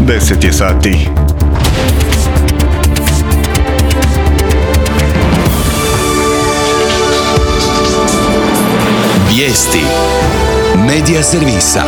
10 je sati. Vijesti Medija servisa.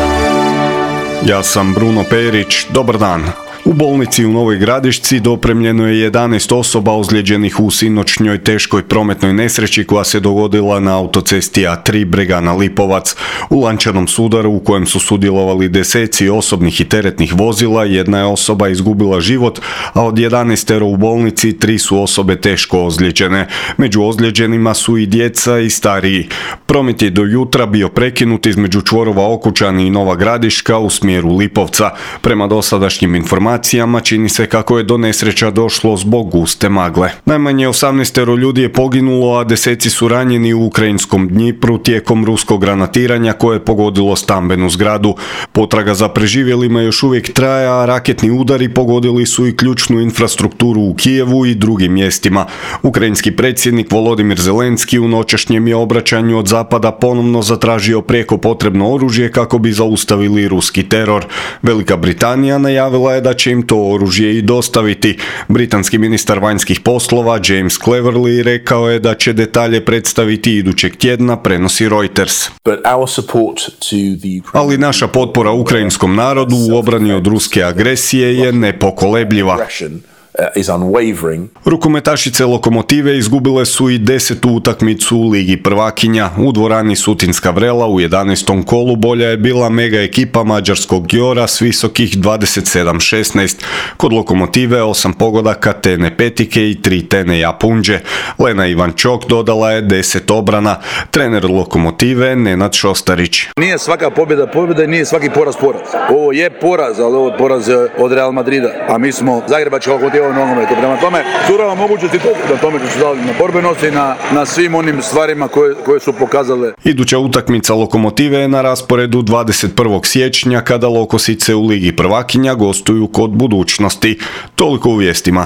Ja sam Bruno Perić, dobar dan. U bolnici u Novoj Gradišci dopremljeno je 11 osoba ozlijeđenih u sinoćnjoj teškoj prometnoj nesreći koja se dogodila na autocesti A3 Bregana Lipovac. U lančanom sudaru u kojem su sudjelovali deseci osobnih i teretnih vozila, jedna je osoba izgubila život, a od 11 u bolnici 3 su osobe teško ozlijeđene. Među ozlijeđenima su i djeca i stariji. Promet je do jutra bio prekinut između čvorova Okučani i Nova Gradiška u smjeru Lipovca. Prema dosadašnjim informacijama čini se kako je do nesreća došlo zbog guste magle. Najmanje 18 ljudi je poginulo, a deseci su ranjeni u ukrajinskom Dnjipru tijekom ruskog granatiranja koje je pogodilo stambenu zgradu. Potraga za preživjelima još uvijek traje, a raketni udari pogodili su i ključnu infrastrukturu u Kijevu i drugim mjestima. Ukrajinski predsjednik Volodimir Zelenski u noćašnjem je obraćanju od zapada ponovno zatražio prijeko potrebno oružje kako bi zaustavili ruski teror. Velika Britanija najavila je da će im to oružje i dostaviti. Britanski ministar vanjskih poslova James Cleverly rekao je da će detalje predstaviti idućeg tjedna, prenosi Reuters. Ali naša potpora ukrajinskom narodu u obrani od ruske agresije je nepokolebljiva. Rukometašice Lokomotive izgubile su i 10. utakmicu u Ligi prvakinja. U dvorani Sutinska Vrela u 11. kolu bolja je bila mega ekipa mađarskog Gjora s visokih 27-16. Kod Lokomotive 8 pogodaka Tene Petike i 3 Tene Japunđe. Lena Ivančok dodala je 10 obrana. Trener Lokomotive Nenad Šostarić. Nije svaka pobjeda i nije svaki poraz. Ovo je poraz, ali ovo je poraz od Real Madrida. A mi smo Zagrebačka Lokomotiva nogometu. Prema tome, surava mogućnosti na tome što su dali na borbenosti, na svim onim stvarima koje su pokazale. Iduća utakmica Lokomotive je na rasporedu 21. siječnja kada Lokosice u Ligi prvakinja gostuju kod Budućnosti. Toliko u vijestima.